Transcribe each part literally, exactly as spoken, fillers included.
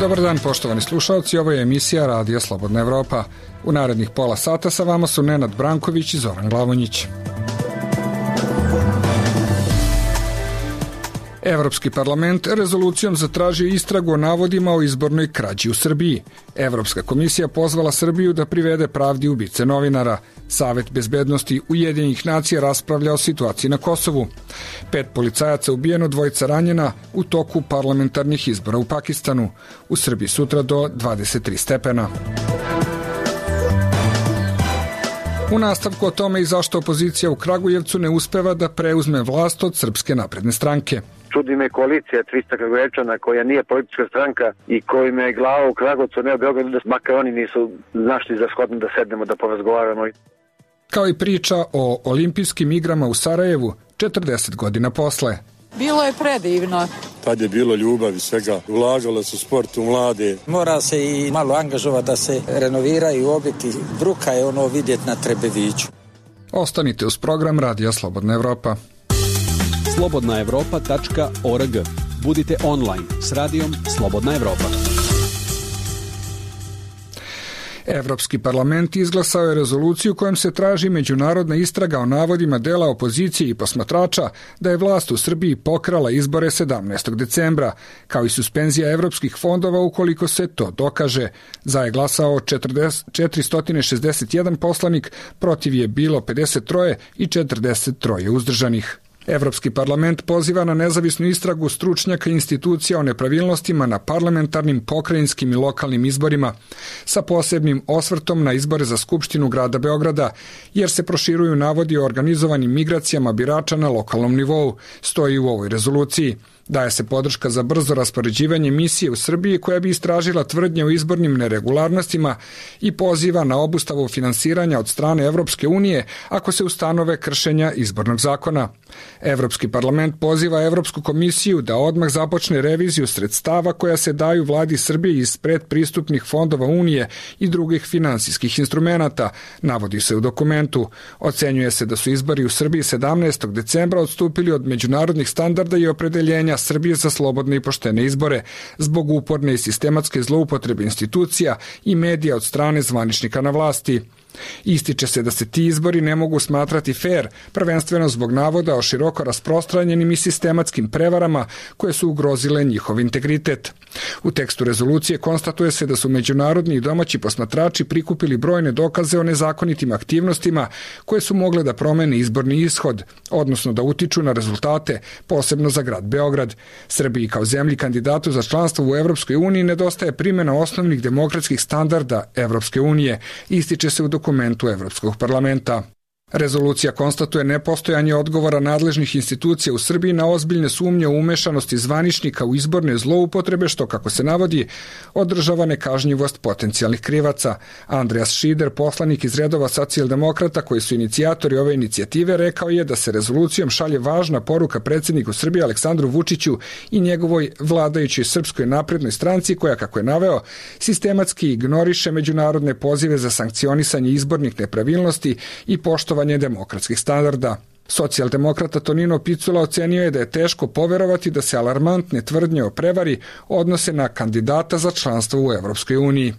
Dobar dan, poštovani slušalci, ovo je emisija Radija Slobodna Evropa. U narednih pola sata sa vama su Nenad Branković i Zoran Glavonjić. Evropski parlament rezolucijom zatražio istragu o navodima o izbornoj krađi u Srbiji. Evropska komisija pozvala Srbiju da privede pravdi ubice novinara. Savet bezbednosti Ujedinjenih nacija raspravlja o situaciji na Kosovu. Pet policajaca ubijeno, dvojica ranjena u toku parlamentarnih izbora u Pakistanu. U Srbiji sutra do dvadeset tri stepena. U nastavku o tome i zašto opozicija u Kragujevcu ne uspeva da preuzme vlast od Srpske napredne stranke. Čudi me koalicija trista Kragujevčana koja nije politička stranka i kojima je glava u Kragovcu, ne u Beogradu, da makar oni nisu našli za shodno da sednemo da porazgovaramo. Kao i priča o olimpijskim igrama u Sarajevu četrdeset godina posle. Bilo je predivno. Tad je bilo ljubavi svega, ulagalo se u sport, u mlade. Mora se i malo angažovati da se renoviraju objekti. Bruka je ono vidjeti na Trebeviću. Ostanite uz program Radija Slobodna Evropa. slobodna evropa tačka org. Budite online s radijom Slobodna Evropa. Evropski parlament izglasao je rezoluciju kojom se traži međunarodna istraga o navodima dela opozicije i posmatrača da je vlast u Srbiji pokrala izbore sedamnaestog decembra, kao i suspenzija evropskih fondova ukoliko se to dokaže. Za je glasao četiristo šezdeset jedan poslanik, protiv je bilo pedeset tri i četrdeset tri uzdržanih. Evropski parlament poziva na nezavisnu istragu stručnjaka institucija o nepravilnostima na parlamentarnim, pokrajinskim i lokalnim izborima sa posebnim osvrtom na izbore za Skupštinu grada Beograda, jer se proširuju navodi o organizovanim migracijama birača na lokalnom nivou, stoji u ovoj rezoluciji. Daje se podrška za brzo raspoređivanje misije u Srbiji koja bi istražila tvrdnje o izbornim neregularnostima i poziva na obustavu finansiranja od strane Evropske unije ako se ustanove kršenja izbornog zakona. Evropski parlament poziva Evropsku komisiju da odmah započne reviziju sredstava koja se daju vladi Srbije iz predpristupnih fondova Unije i drugih finansijskih instrumenata, navodi se u dokumentu. Ocenjuje se da su izbori u Srbiji sedamnaestog decembra odstupili od međunarodnih standarda i opredeljenja Srbije za slobodne i poštene izbore zbog uporne i sistematske zloupotrebe institucija i medija od strane zvaničnika na vlasti. Ističe se da se ti izbori ne mogu smatrati fair, prvenstveno zbog navoda o široko rasprostranjenim i sistematskim prevarama koje su ugrozile njihov integritet. U tekstu rezolucije konstatuje se da su međunarodni i domaći posmatrači prikupili brojne dokaze o nezakonitim aktivnostima koje su mogle da promene izborni ishod, odnosno da utiču na rezultate, posebno za grad Beograd. Srbiji kao zemlji kandidatu za članstvo u Evropskoj uniji nedostaje primjena osnovnih demokratskih standarda Evropske unije, ističe se u dokumentu Evropskog parlamenta. Rezolucija konstatuje nepostojanje odgovora nadležnih institucija u Srbiji na ozbiljne sumnje u umešanosti zvaničnika u izborne zloupotrebe, što, kako se navodi, održava nekažnjivost potencijalnih krivaca. Andreas Šider, poslanik iz redova socijaldemokrata koji su inicijatori ove inicijative, rekao je da se rezolucijom šalje važna poruka predsjedniku Srbije Aleksandru Vučiću i njegovoj vladajućoj Srpskoj naprednoj stranci koja, kako je naveo, sistematski ignoriše međunarodne pozive za sankcionisanje izbornih nepravilnosti i poštovanje demokratskih standarda. Socijaldemokrata Tonino Picula ocenio je da je teško poverovati da se alarmantne tvrdnje o prevari odnose na kandidata za članstvo u Evropskoj uniji.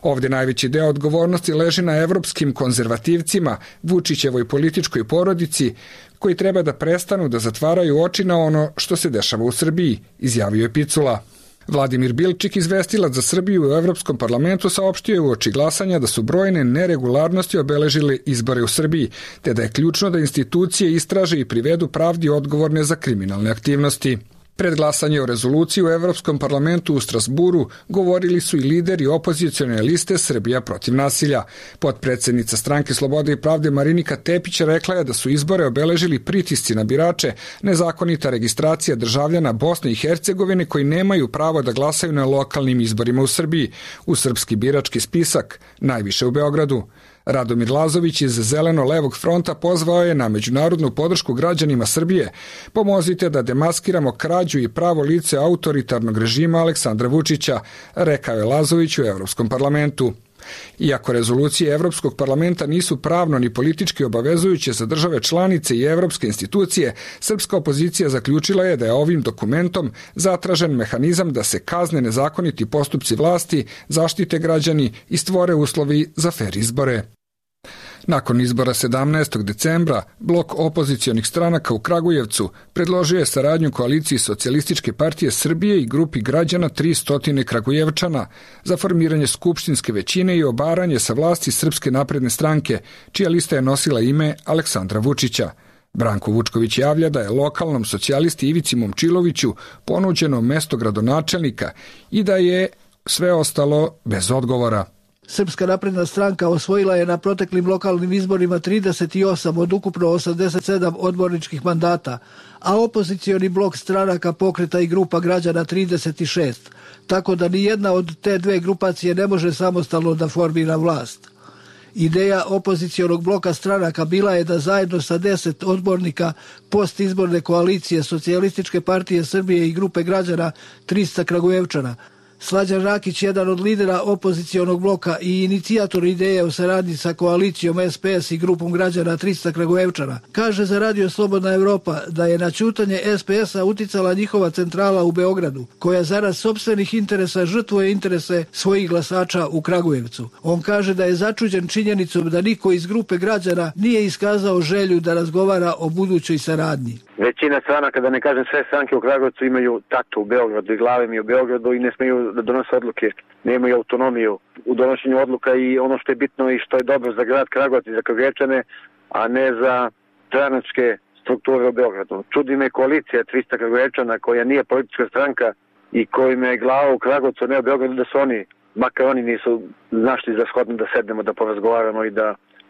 Ovdje najveći deo odgovornosti leži na evropskim konzervativcima, Vučićevoj političkoj porodici, koji treba da prestanu da zatvaraju oči na ono što se dešava u Srbiji, izjavio je Picula. Vladimir Bilčik, izvestilac za Srbiju u Evropskom parlamentu, saopštio je uoči glasanja da su brojne neregularnosti obeležile izbore u Srbiji, te da je ključno da institucije istraže i privedu pravdi odgovorne za kriminalne aktivnosti. Pred glasanje o rezoluciji u Evropskom parlamentu u Strasburu govorili su i lideri opozicione liste Srbija protiv nasilja. Potpredsednica Stranke Slobode i pravde Marinika Tepić rekla je da su izbore obeležili pritisci na birače, nezakonita registracija državljana Bosne i Hercegovine koji nemaju pravo da glasaju na lokalnim izborima u Srbiji, u srpski birački spisak, najviše u Beogradu. Radomir Lazović iz Zeleno-levog fronta pozvao je na međunarodnu podršku građanima Srbije. Pomozite da demaskiramo krađu i pravo lice autoritarnog režima Aleksandra Vučića, rekao je Lazović u Evropskom parlamentu. Iako rezolucije Evropskog parlamenta nisu pravno ni politički obavezujuće za države članice i evropske institucije, srpska opozicija zaključila je da je ovim dokumentom zatražen mehanizam da se kazne nezakoniti postupci vlasti, zaštite građani i stvore uslovi za fer izbore. Nakon izbora sedamnaestog decembra, blok opozicionih stranaka u Kragujevcu predložio je saradnju koaliciji Socijalističke partije Srbije i grupi građana tristo Kragujevčana za formiranje skupštinske većine i obaranje sa vlasti Srpske napredne stranke, čija lista je nosila ime Aleksandra Vučića. Branko Vučković javlja da je lokalnom socijalisti Ivici Momčiloviću ponuđeno mesto gradonačelnika i da je sve ostalo bez odgovora. Srpska napredna stranka osvojila je na proteklim lokalnim izborima trideset osam od ukupno osamdeset sedam odborničkih mandata, a opozicioni blok stranaka Pokreta i grupa građana trideset šest, tako da ni jedna od te dve grupacije ne može samostalno da formira vlast. Ideja opozicionog bloka stranaka bila je da zajedno sa deset odbornika postizborne koalicije Socijalističke partije Srbije i grupe građana tristo Kragujevčana, Slađan Rakić, jedan od lidera opozicionog bloka i inicijator ideje o saradnji sa koalicijom S P S i grupom građana tristo Kragujevčana, kaže za Radio Slobodna Evropa da je na ćutanje S P S-a uticala njihova centrala u Beogradu, koja zarad sopstvenih interesa žrtvuje interese svojih glasača u Kragujevcu. On kaže da je začuđen činjenicom da niko iz grupe građana nije iskazao želju da razgovara o budućoj saradnji. Većina stranaka, da ne kažem sve stranke u Kragujevcu, imaju tatu u Beogradu i glave mi u Beogradu i ne smeju da donose odluke, nemaju autonomiju u donošenju odluka i ono što je bitno i što je dobro za grad Kragujevac i za Kragujevčane, a ne za stranačke strukture u Beogradu. Čudi me koalicija tristo Kragujevčana koja nije politička stranka i kojima je glava u Kragujevcu, ne u Beogradu, da su oni, makar oni nisu našli za shodno da sednemo, da porazgovaramo i da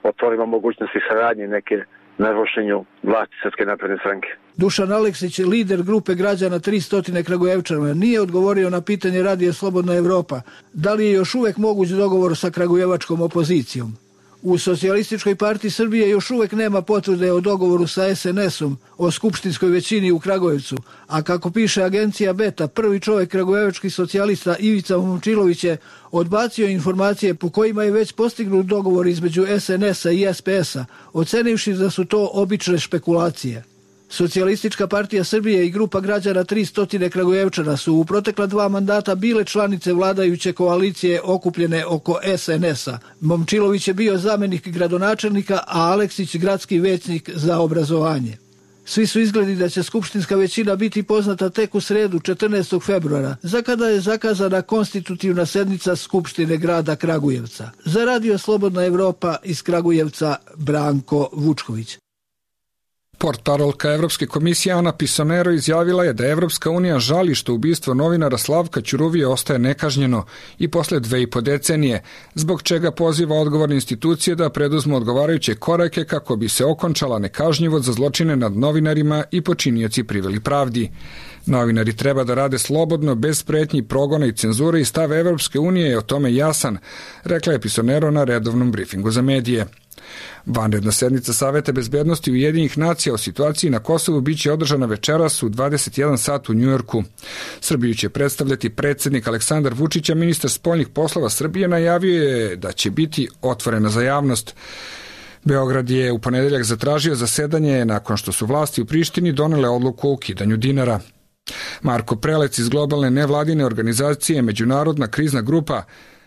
otvorimo mogućnosti saradnje neke na rušenju vlasti Srpske napredne stranke. Dušan Aleksić, lider grupe građana tristo Kragujevčana, nije odgovorio na pitanje Radio Slobodna Evropa da li je još uvek moguć dogovor sa kragujevačkom opozicijom. U Socijalističkoj partiji Srbije još uvek nema potvrde o dogovoru sa S N S-om o skupštinskoj većini u Kragujevcu, a kako piše agencija Beta, prvi čovjek kragujevačkih socijalista Ivica Momčilović je odbacio informacije po kojima je već postignut dogovor između S N S-a i S P S-a, ocenivši da su to obične špekulacije. Socijalistička partija Srbije i grupa građana tristo Kragujevčana su u protekla dva mandata bile članice vladajuće koalicije okupljene oko S N S-a. Momčilović je bio zamenik gradonačelnika, a Aleksić gradski većnik za obrazovanje. Svi su izgledi da će skupštinska većina biti poznata tek u sredu četrnaestog februara, za kada je zakazana konstitutivna sednica Skupštine grada Kragujevca. Za Radio Slobodna Evropa iz Kragujevca, Branko Vučković. Portparolka Evropske komisije Ana Pisonero izjavila je da Evropska unija žali što ubistvo novinara Slavka Ćuruvije ostaje nekažnjeno i posle dve i po decenije, zbog čega poziva odgovorne institucije da preduzmu odgovarajuće korake kako bi se okončala nekažnjivost za zločine nad novinarima i počinioci priveli pravdi. Novinari treba da rade slobodno, bez pretnji, progona i cenzure i stav Evropske unije je o tome jasan, rekla je Pisonero na redovnom brifingu za medije. Vanredna sednica Saveta bezbednosti Ujedinjenih nacija o situaciji na Kosovu biće održana večeras u dvadeset jedan sat u Njujorku. Srbiju će predstavljati predsjednik Aleksandar Vučić, a ministar spoljnih poslova Srbije najavio je da će biti otvorena za javnost. Beograd je u ponedeljak zatražio zasedanje nakon što su vlasti u Prištini donele odluku o ukidanju dinara. Marko Prelec iz globalne nevladine organizacije Međunarodna krizna grupa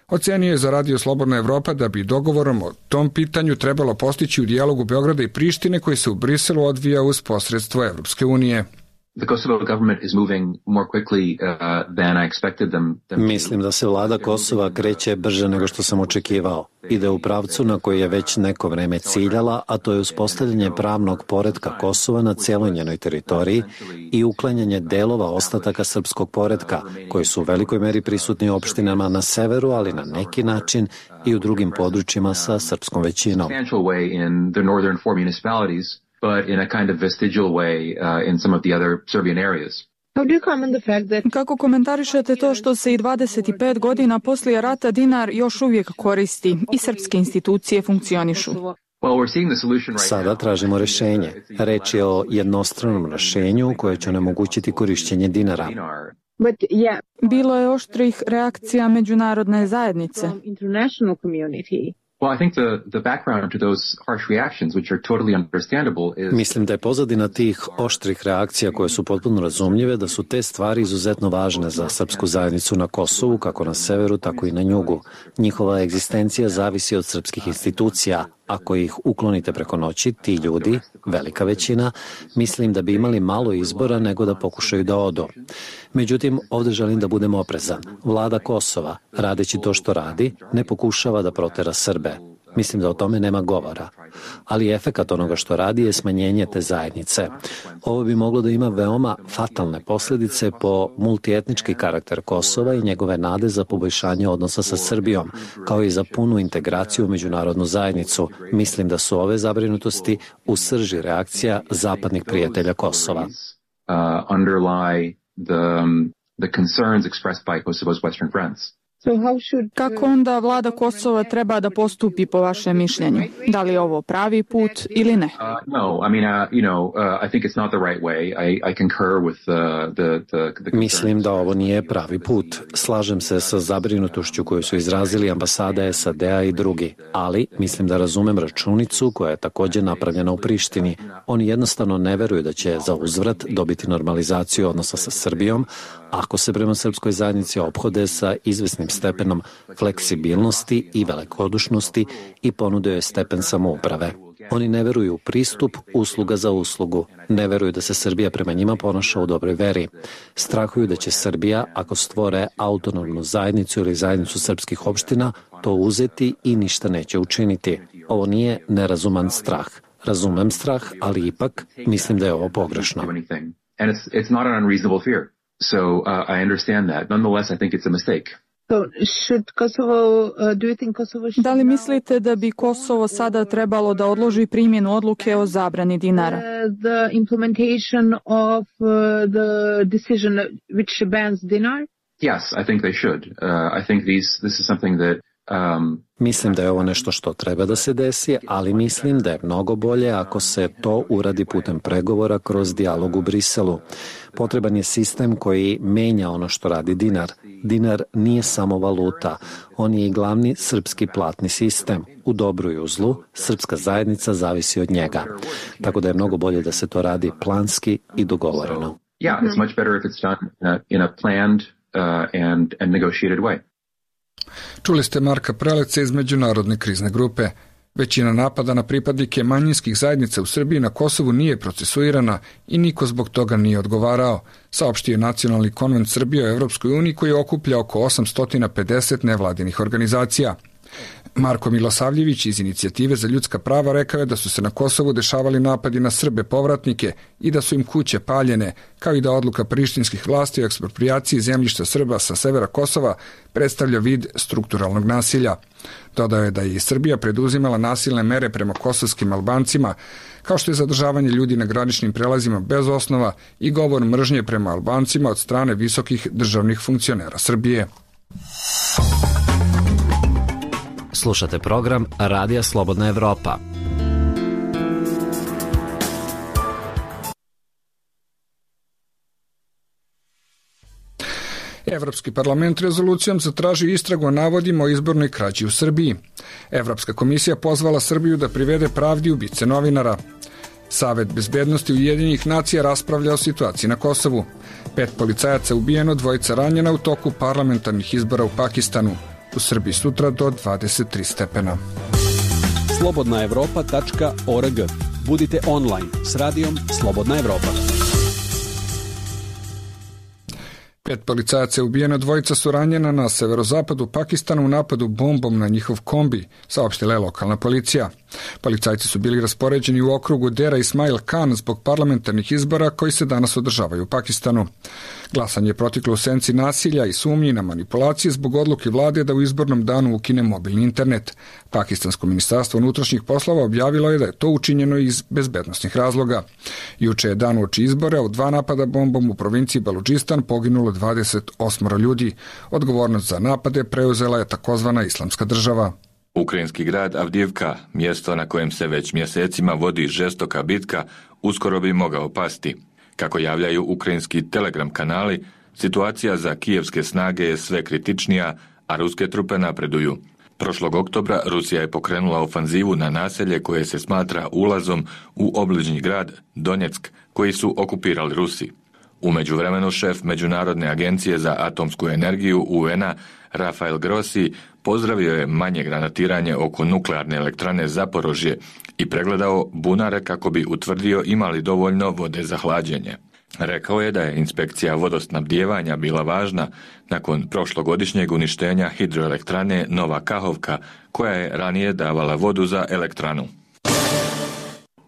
ocenio je za Radio Slobodna Evropa da bi dogovorom o tom pitanju trebalo postići u dijalogu Beograda i Prištine koji se u Briselu odvija uz posredstvo Evropske unije. Mislim da se vlada Kosova kreće brže nego što sam očekivao. Ide u pravcu na koji je već neko vreme ciljala, a to je uspostavljanje pravnog poretka Kosova na cijeloj njenoj teritoriji i uklanjanje delova ostataka srpskog poretka, koji su u velikoj meri prisutni u opštinama na severu, ali na neki način i u drugim područjima sa srpskom većinom. but in a kind of vestigial way uh, in some of the other Serbian areas. Kako komentarišete to što se i dvadeset pet godina poslije rata dinar još uvijek koristi i srpske institucije funkcionišu? Sada tražimo rješenje. Reč je o jednostranom rješenju koje će onemogućiti korišćenje dinara. Bilo je oštrih reakcija međunarodne zajednice. Well, I think the, the background to those harsh reactions, which are totally understandable, is... Mislim da je pozadina tih oštrih reakcija koje su potpuno razumljive, da su te stvari izuzetno važne za srpsku zajednicu na Kosovu, kako na severu, tako i na jugu. Njihova egzistencija zavisi od srpskih institucija. Ako ih uklonite preko noći, ti ljudi, velika većina, mislim da bi imali malo izbora nego da pokušaju da odu. Međutim, ovdje želim da budem oprezan. Vlada Kosova, radeći to što radi, ne pokušava da protera Srbe. Mislim da o tome nema govora. Ali efekat onoga što radi je smanjenje te zajednice. Ovo bi moglo da ima veoma fatalne posljedice po multietnički karakter Kosova i njegove nade za poboljšanje odnosa sa Srbijom, kao i za punu integraciju u međunarodnu zajednicu. Mislim da su ove zabrinutosti u srži reakcija zapadnih prijatelja Kosova. Uh, underlie the, um, the concerns expressed by Kosovo's Western friends. Kako onda vlada Kosova treba da postupi po vašem mišljenju? Da li je ovo pravi put ili ne? Uh, no, I mean, uh, you know, uh, I think it's not the right way. I, I concur with uh, the, the, the Mislim da ovo nije pravi put. Slažem se sa zabrinutošću koju su izrazili ambasada S A D-a i drugi, ali mislim da razumem računicu koja je također napravljena u Prištini. Oni jednostavno ne veruju da će za uzvrat dobiti normalizaciju odnosa sa Srbijom, ako se prema srpskoj zajednici ophode sa izvesnim stepenom fleksibilnosti i velikodušnosti i ponude joj stepen samouprave. Oni ne veruju u pristup usluga za uslugu. Ne veruju da se Srbija prema njima ponaša u dobroj veri. Strahuju da će Srbija, ako stvore autonomnu zajednicu ili zajednicu srpskih opština, to uzeti i ništa neće učiniti. Ovo nije nerazuman strah. Razumem strah, ali ipak mislim da je ovo pogrešno. And it's, it's not an unreasonable fear. So uh, I understand that. Nonetheless, I think it's a mistake. So should Kosovo, uh, do you think Kosovo should... Da li mislite da bi Kosovo sada trebalo da odloži primjenu odluke o zabrani dinara? Uh, the implementation of uh, the decision which bans dinar? Yes, I think they should. Uh, I think these, this is something that Um, Mislim da je ovo nešto što treba da se desi, ali mislim da je mnogo bolje ako se to uradi putem pregovora kroz dijalog u Briselu. Potreban je sistem koji menja ono što radi dinar. Dinar nije samo valuta, on je i glavni srpski platni sistem. U dobru i u zlu, srpska zajednica zavisi od njega. Tako da je mnogo bolje da se to radi planski i dogovoreno. Yeah, it's much better if it's done in a, in a planned uh, and, and negotiated way. Čuli ste Marka Preleca iz Međunarodne krizne grupe. Većina napada na pripadnike manjinskih zajednica u Srbiji na Kosovu nije procesuirana i niko zbog toga nije odgovarao, saopštio je Nacionalni konvent Srbije o Evropskoj uniji koji okuplja oko osamsto pedeset nevladinih organizacija. Marko Milosavljević iz Inicijative za ljudska prava rekao je da su se na Kosovu dešavali napadi na Srbe povratnike i da su im kuće paljene, kao i da odluka prištinskih vlasti o eksproprijaciji zemljišta Srba sa severa Kosova predstavlja vid strukturalnog nasilja. Dodao je da je i Srbija preduzimala nasilne mere prema kosovskim Albancima, kao što je zadržavanje ljudi na graničnim prelazima bez osnova i govor mržnje prema Albancima od strane visokih državnih funkcionera Srbije. Slušate program Radija Slobodna Evropa. Evropski parlament rezolucijom zatražio istragu o navodima o izbornoj krađi u Srbiji. Evropska komisija pozvala Srbiju da privede pravdi ubice novinara. Savet bezbednosti Ujedinjenih nacija raspravlja o situaciji na Kosovu. Pet policajaca ubijeno, dvojica ranjena u toku parlamentarnih izbora u Pakistanu. U Srbiji sutra do dvadeset tri stepena. slobodna evropa tačka org. Budite online s radijom Slobodna Evropa. Pet policajaca je ubijeno, dvojica su ranjena na severozapadu Pakistana u napadu bombom na njihov kombi, saopštila je lokalna policija. Policajci su bili raspoređeni u okrugu Dera Ismail Khan zbog parlamentarnih izbora koji se danas održavaju u Pakistanu. Glasanje je proteklo u senci nasilja i sumnji na manipulacije zbog odluke vlade da u izbornom danu ukine mobilni internet. Pakistansko ministarstvo unutrašnjih poslova objavilo je da je to učinjeno iz bezbednosnih razloga. Juče je dan uoči izbora od dva napada bombom u provinciji Baludžistan poginulo dvadeset osam ljudi. Odgovornost za napade preuzela je takozvana Islamska država. Ukrajinski grad Avdijivka, mjesto na kojem se već mjesecima vodi žestoka bitka, uskoro bi mogao pasti. Kako javljaju ukrajinski telegram kanali, Situacija za kijevske snage je sve kritičnija, a ruske trupe napreduju. Prošlog oktobra Rusija je pokrenula ofanzivu na naselje koje se smatra ulazom u obližnji grad Donjeck, koji su okupirali Rusi. U međuvremenu šef Međunarodne agencije za atomsku energiju U N-a Rafael Grossi pozdravio je manje granatiranje oko nuklearne elektrane Zaporožje i pregledao bunare kako bi utvrdio imali dovoljno vode za hlađenje. Rekao je da je inspekcija vodosnabdijevanja bila važna nakon prošlogodišnjeg uništenja hidroelektrane Nova Kahovka, koja je ranije davala vodu za elektranu.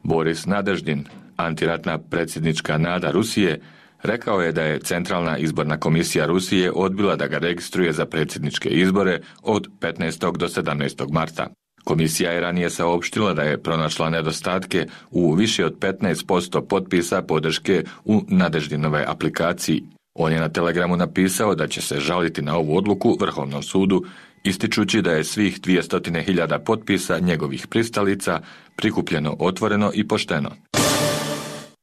Boris Nadeždin, antiratna predsjednička nada Rusije, rekao je da je Centralna izborna komisija Rusije odbila da ga registruje za predsjedničke izbore od petnaestog do sedamnaestog marta. Komisija je ranije saopštila da je pronašla nedostatke u više od petnaest posto potpisa podrške u Nadeždinove aplikaciji. On je na Telegramu napisao da će se žaliti na ovu odluku Vrhovnom sudu, ističući da je svih dvjesto hiljada potpisa njegovih pristalica prikupljeno otvoreno i pošteno.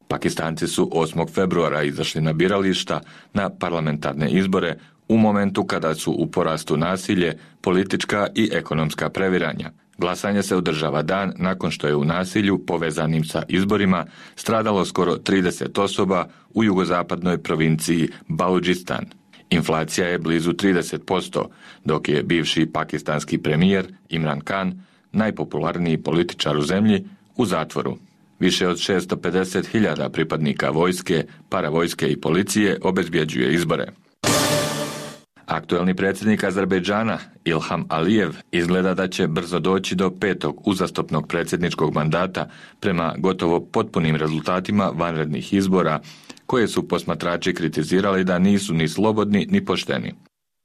Pakistanci su osmog februara izašli na birališta na parlamentarne izbore u momentu kada su u porastu nasilje, politička i ekonomska previranja. Glasanje se održava dan nakon što je u nasilju povezanim sa izborima stradalo skoro trideset osoba u jugozapadnoj provinciji Baludžistan. Inflacija je blizu trideset posto, dok je bivši pakistanski premijer Imran Khan, najpopularniji političar u zemlji, u zatvoru. Više od šesto pedeset hiljada pripadnika vojske, paravojske i policije obezbjeđuje izbore. Aktuelni predsjednik Azerbejdžana Ilham Alijev izgleda da će brzo doći do petog uzastopnog predsjedničkog mandata prema gotovo potpunim rezultatima vanrednih izbora, koje su posmatrači kritizirali da nisu ni slobodni ni pošteni.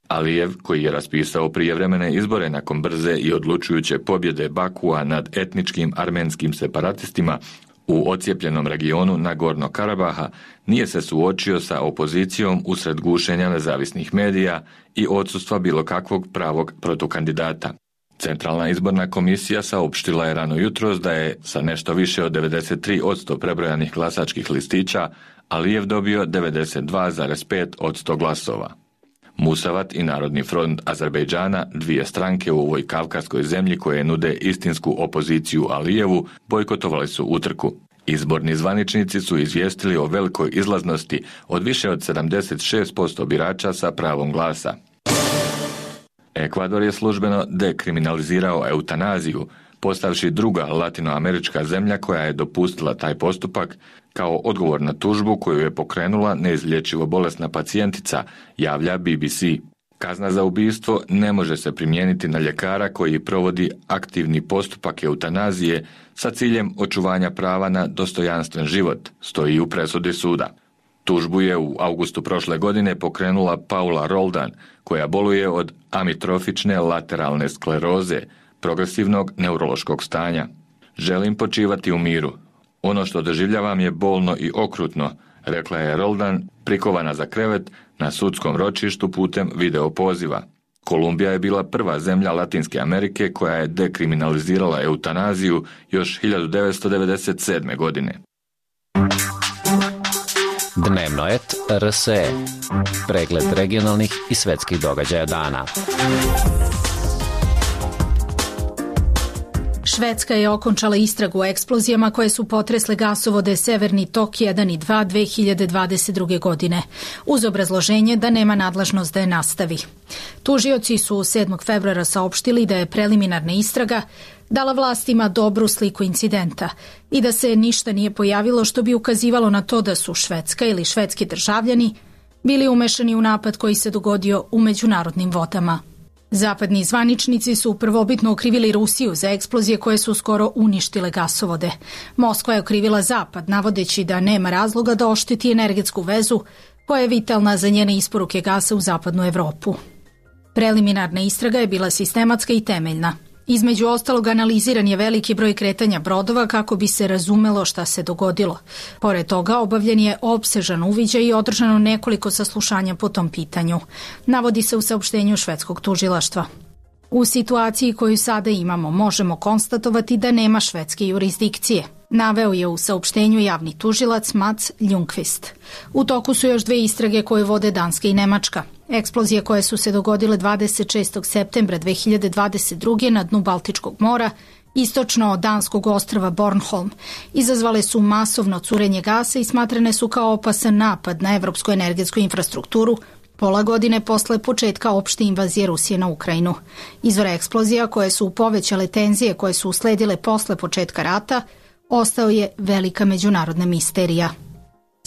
Alijev, koji je raspisao prijevremene izbore nakon brze i odlučujuće pobjede Bakua nad etničkim armenskim separatistima u ocijepljenom regionu Nagorno Karabaha, nije se suočio sa opozicijom usred gušenja nezavisnih medija i odsustva bilo kakvog pravog protukandidata. Centralna izborna komisija saopštila je rano jutros da je sa nešto više od devedeset tri posto prebrojanih glasačkih listića Alijev dobio devedeset dva zarez pet posto glasova. Musavat i Narodni front Azerbejdžana, dvije stranke u ovoj kavkaskoj zemlji koje nude istinsku opoziciju Alijevu, bojkotovali su utrku. Izborni zvaničnici su izvijestili o velikoj izlaznosti od više od sedamdeset šest posto birača sa pravom glasa. Ekvador je službeno dekriminalizirao eutanaziju, postavši druga latinoamerička zemlja koja je dopustila taj postupak kao odgovor na tužbu koju je pokrenula neizlječivo bolesna pacijentica, javlja B B C. Kazna za ubistvo ne može se primijeniti na ljekara koji provodi aktivni postupak eutanazije sa ciljem očuvanja prava na dostojanstven život, stoji u presudi suda. Tužbu je u augustu prošle godine pokrenula Paula Roldan, koja boluje od amitrofične lateralne skleroze, progresivnog neurološkog stanja. Želim počivati u miru. Ono što doživljavam je bolno i okrutno, rekla je Roldan, prikovana za krevet na sudskom ročištu putem video poziva. Kolumbija je bila prva zemlja Latinske Amerike koja je dekriminalizirala eutanaziju još hiljadu devetsto devedeset sedme. godine. Dnevnoet R S E. Pregled regionalnih i svetskih događaja dana. Švedska je okončala istragu o eksplozijama koje su potresle gasovode Severni tok jedan i dva dve hiljade dvadeset druge. godine, uz obrazloženje da nema nadležnost da je nastavi. Tužioci su sedmog februara saopštili da je preliminarna istraga dala vlastima dobru sliku incidenta i da se ništa nije pojavilo što bi ukazivalo na to da su Švedska ili švedski državljani bili umešani u napad koji se dogodio u međunarodnim vodama. Zapadni zvaničnici su prvobitno okrivili Rusiju za eksplozije koje su skoro uništile gasovode. Moskva je okrivila Zapad, navodeći da nema razloga da ošteti energetsku vezu koja je vitalna za njene isporuke gasa u zapadnu Evropu. Preliminarna istraga je bila sistematska i temeljna. Između ostalog, analiziran je veliki broj kretanja brodova kako bi se razumelo šta se dogodilo. Pored toga, obavljen je opsežan uviđaj i održano nekoliko saslušanja po tom pitanju, navodi se u saopštenju švedskog tužilaštva. U situaciji koju sada imamo možemo konstatovati da nema švedske jurisdikcije. Naveo je u saopštenju javni tužilac Mats Ljungqvist. U toku su još dve istrage koje vode Danska i Nemačka. Eksplozije koje su se dogodile dvadeset šestog septembra dve hiljade dvadeset druge. na dnu Baltičkog mora, istočno od danskog ostrva Bornholm, izazvale su masovno curenje gasa i smatrane su kao opasan napad na evropsku energetsku infrastrukturu, pola godine posle početka opšte invazije Rusije na Ukrajinu. Izvor eksplozija koje su povećale tenzije koje su usledile posle početka rata ostao je velika međunarodna misterija.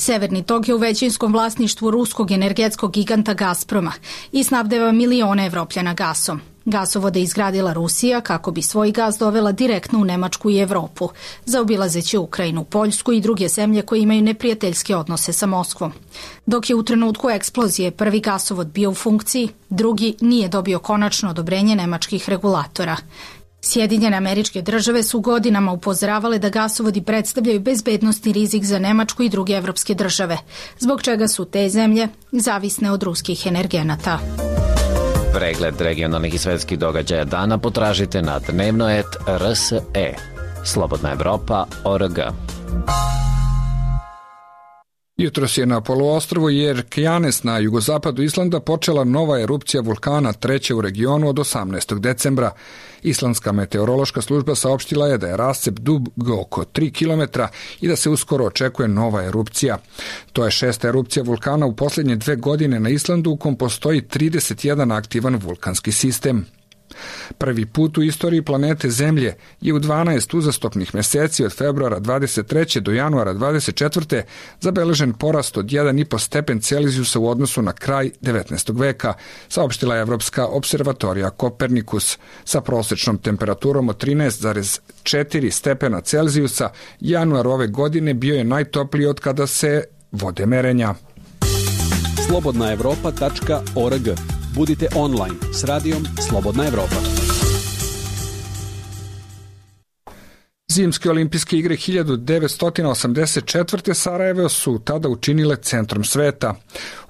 Severni tok je u većinskom vlasništvu ruskog energetskog giganta Gazproma i snabdeva milione Evropljana gasom. Gasovode izgradila Rusija kako bi svoj gas dovela direktno u Nemačku i Evropu, zaobilazeći Ukrajinu, Poljsku i druge zemlje koje imaju neprijateljske odnose sa Moskvom. Dok je u trenutku eksplozije prvi gasovod bio u funkciji, drugi nije dobio konačno odobrenje nemačkih regulatora. Sjedinjene Američke Države su godinama upozoravale da gasovodi predstavljaju bezbednosni rizik za Nemačku i druge evropske države, zbog čega su te zemlje zavisne od ruskih energenata. Pregled regionalnih i svetskih događaja dana potražite na dnevnoet R S E. Slobodna Evropa O R G. Jutros je na poluostrvu Jerkjanes na jugozapadu Islanda počela nova erupcija vulkana, treća u regionu od osamnaestog decembra. Islandska meteorološka služba saopštila je da je rascep dug oko tri kilometra i da se uskoro očekuje nova erupcija. To je šesta erupcija vulkana u posljednje dve godine na Islandu, u kom postoji trideset jedan aktivan vulkanski sistem. Prvi put u istoriji planete Zemlje je u dvanaest uzastopnih meseci od februara dvadeset treće do januara dvadeset četvrte zabeležen porast od jedan i po stepen Celzijusa u odnosu na kraj devetnaestog veka, saopštila je Evropska observatorija Kopernikus. Sa prosečnom temperaturom od trinaest zarez četiri stepena Celzijusa, januar ove godine bio je najtopliji od kada se vode merenja. slobodna evropa tačka O R G. Budite online s radijom Slobodna Evropa. Zimske olimpijske igre hiljadu devetsto osamdeset četvrte. Sarajevo su tada učinile centrom sveta.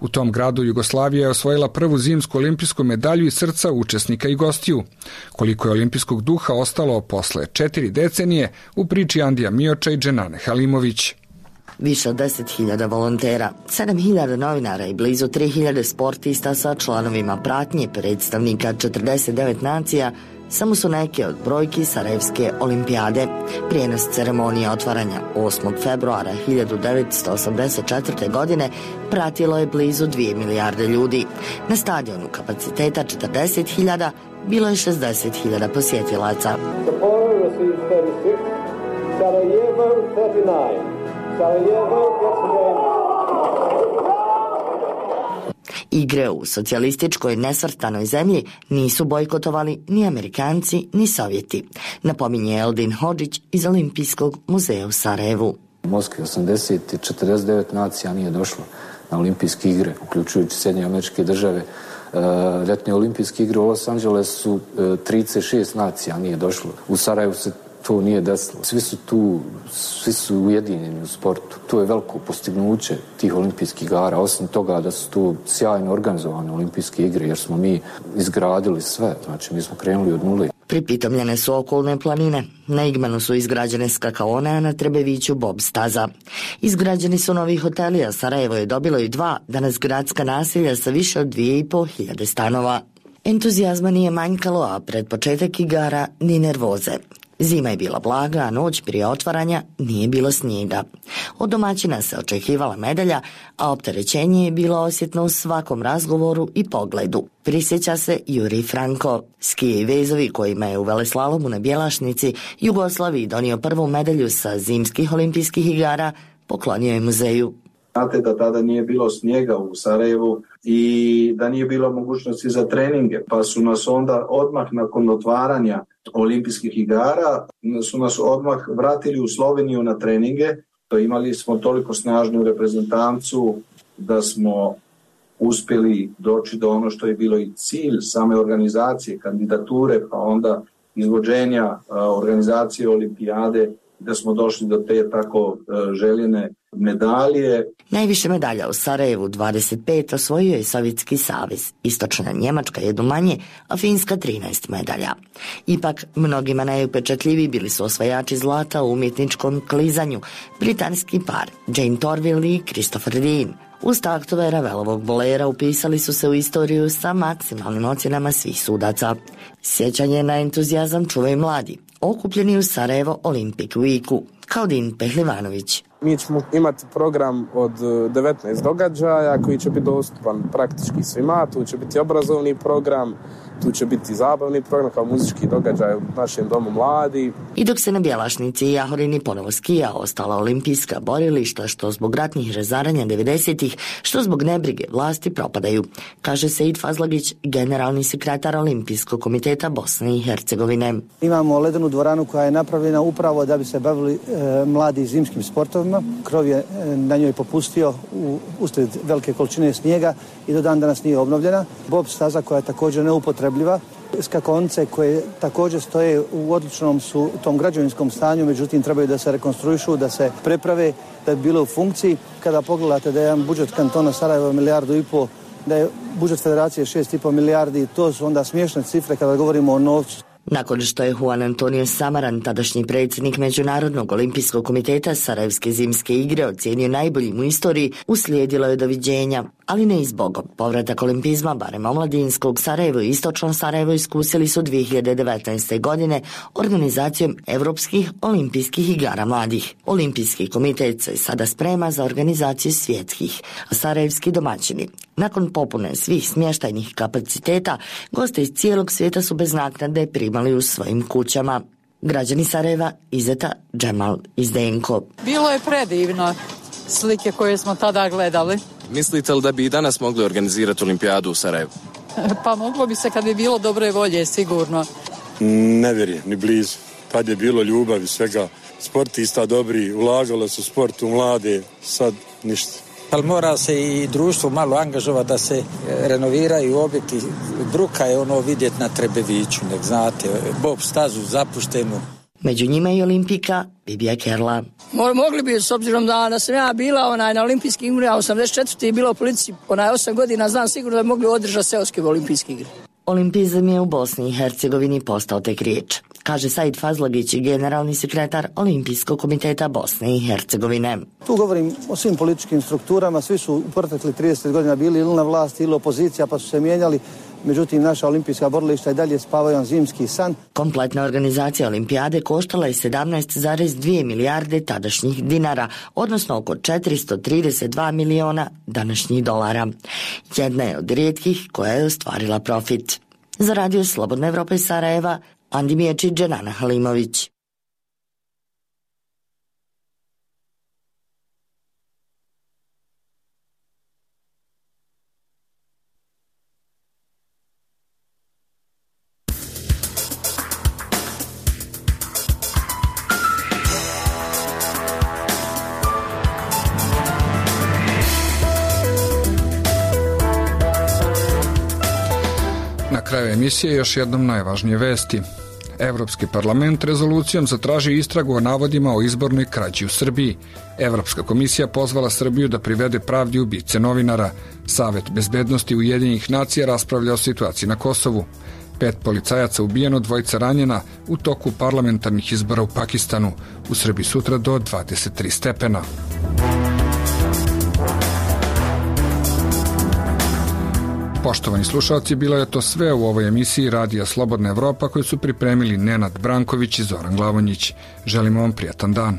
U tom gradu Jugoslavija je osvojila prvu zimsku olimpijsku medalju iz srca učesnika i gostiju. Koliko je olimpijskog duha ostalo posle četiri decenije, u priči Andija Mioča i Dženane Halimović. Više od deset hiljada volontera, sedam hiljada novinara i blizu tri hiljade sportista sa članovima pratnje predstavnika četrdeset devet nacija samo su neke od brojki Sarajevske olimpijade. Prijenos ceremonije otvaranja osmog februara hiljadu devetsto osamdeset četvrte. godine pratilo je blizu dvije milijarde ljudi. Na stadionu kapaciteta četrdeset hiljada bilo je šezdeset hiljada posjetilaca. Igre u socijalističkoj nesvrstanoj zemlji nisu bojkotovali ni Amerikanci ni Sovjeti, napominje Eldin Hodžić iz Olimpijskog muzeja u Sarajevu. U Moskvi osamdeset i četrdeset devet nacija nije došlo na olimpijske igre, uključujući Sjedinjene Američke Države. Ljetne olimpijske igre u Los Angelesu trideset šest nacija nije došlo. U Sarajevu se to nije desilo. Svi su tu, svi su ujedinjeni u sportu. To je veliko postignuće tih olimpijskih igara. Osim toga da su tu sjajno organizovane olimpijske igre, jer smo mi izgradili sve. Znači, mi smo krenuli od nule. Pripitomljene su okolne planine. Na Igmanu su izgrađene skakaone, a na Trebeviću bob staza. Izgrađeni su novi hoteli, a Sarajevo je dobilo i dva danas gradska naselja sa više od dvije i po hiljade stanova. Entuzijazma nije manjkalo, a pred početak igara ni nervoze. Zima je bila blaga, a noć prije otvaranja nije bilo snijega. Od domaćina se očekivala medalja, a opterećenje je bilo osjetno u svakom razgovoru i pogledu. Prisjeća se Jurij Franko. Skije i vezovi kojima je u veleslalomu na Bjelašnici Jugoslaviji donio prvu medalju sa zimskih olimpijskih igara, poklonio je muzeju. Znate da tada nije bilo snijega u Sarajevu i da nije bilo mogućnosti za treninge, pa su nas onda odmah nakon otvaranja olimpijskih igara su nas odmah vratili u Sloveniju na treninge. To imali smo toliko snažnu reprezentancu da smo uspjeli doći do ono što je bilo i cilj same organizacije, kandidature, pa onda izvođenja organizacije olimpijade da smo došli do te tako željene medalje. Najviše medalja u Sarajevu, dvadeset pet, osvojio je Sovjetski savez. Istočna Njemačka jednu manje, a Finska trinaest medalja. Ipak, mnogima najupečatljiviji bili su osvajači zlata u umjetničkom klizanju, britanski par Jane Torvill i Christopher Dean. Uz taktove Ravelovog bolera upisali su se u istoriju sa maksimalnim ocjenama svih sudaca. Sjećanje na entuzijazam čuvaju mladi, okupljeni u Sarajevo Olympic Weeku, kao Din Pehlivanović. Mi ćemo imati program od devetnaest događaja koji će biti dostupan praktički svima. Tu će biti obrazovni program, tu će biti zabavni program kao muzički događaj u našem domu mladi. I dok se na Bjelašnici i Jahorini ponovo skija, ostala olimpijska borilišta što zbog ratnih razaranja devedesetih, što zbog nebrige vlasti propadaju, kaže Seid Fazlagić, generalni sekretar Olimpijskog komiteta Bosne i Hercegovine. Imamo ledenu dvoranu koja je napravljena upravo da bi se bavili e, mladi zimskim sportovima. Krov je e, na njoj popustio u, uslijed velike količine snijega i do dan danas nije obnovljena. Bob staza koja je također neupotrebljiva. Skakonce koje također stoje u odličnom su tom građevinskom stanju, međutim trebaju da se rekonstruišu, da se preprave, da bi bilo u funkciji. Kada pogledate da je jedan budžet kantona Sarajeva milijardu i pol, da je budžet federacije šest i pol milijardi, to su onda smiješne cifre kada govorimo o novcu. Nakon što je Juan Antonio Samaran, tadašnji predsjednik Međunarodnog olimpijskog komiteta, Sarajevske zimske igre ocijenio najboljim u istoriji, uslijedilo je doviđenja, ali ne i zbogom. Povratak olimpizma, barem omladinskog, Sarajevo i istočno Sarajevo iskusili su dvije hiljade devetnaeste. godine organizacijom Evropskih olimpijskih igara mladih. Olimpijski komitet se sada sprema za organizaciju svjetskih, a sarajevski domaćini, nakon popune svih smještajnih kapaciteta, goste iz cijelog svijeta su bez naknade primali u svojim kućama. Građani Sarajeva, Izeta, Džemal i Zdenko. Bilo je predivno, slike koje smo tada gledali. Mislite li da bi i danas mogli organizirati olimpijadu u Sarajevu? Pa moglo bi se kad bi bilo dobre volje, sigurno. Ne vjerujem, ni blizu. Kad je bilo ljubavi svega, sportista dobri, ulagalo su sport u mlade, sad ništa. Ali mora se i društvo malo angažovati da se renoviraju objekti. Bruka je ono vidjeti na Trebeviću, nek znate, Bob stazu zapuštenu. Među njima i olimpika Bibija Kerla. Mogli bi, s obzirom da, da sam ja bila onaj, na olimpijskim igrama, osamdeset četvrte je bila u policiji, onaj osam godina, znam sigurno da bi mogli održati seoske olimpijske igre. Olimpizam je u Bosni i Hercegovini postao tek riječ, kaže Seid Fazlagić, generalni sekretar Olimpijskog komiteta Bosne i Hercegovine. Tu govorim o svim političkim strukturama, svi su u protekli trideset godina bili ili na vlasti ili opozicija, pa su se mijenjali. Međutim, naša olimpijska borilišta i dalje spavaju zimski san. Kompletna organizacija olimpijade koštala je sedamnaest zarez dvije milijarde tadašnjih dinara, odnosno oko četiristo trideset dva miliona današnjih dolara. Jedna je od rijetkih koja je ostvarila profit. Za radio Slobodna Evropa iz Sarajeva, Andi Miječić, Dženana Halimović. Na kraju emisije još jednom najvažnije vesti. Evropski parlament rezolucijom zatraži istragu o navodima o izbornoj krađi u Srbiji. Evropska komisija pozvala Srbiju da privede pravdi ubice novinara. Savet bezbednosti Ujedinjenih nacija raspravlja o situaciji na Kosovu. Pet policajaca ubijeno, dvojica ranjena u toku parlamentarnih izbora u Pakistanu. U Srbiji sutra do dvadeset tri stepena. Poštovani slušalci, bilo je to sve u ovoj emisiji Radija Slobodna Evropa koju su pripremili Nenad Branković i Zoran Glavonjić. Želimo vam prijatan dan.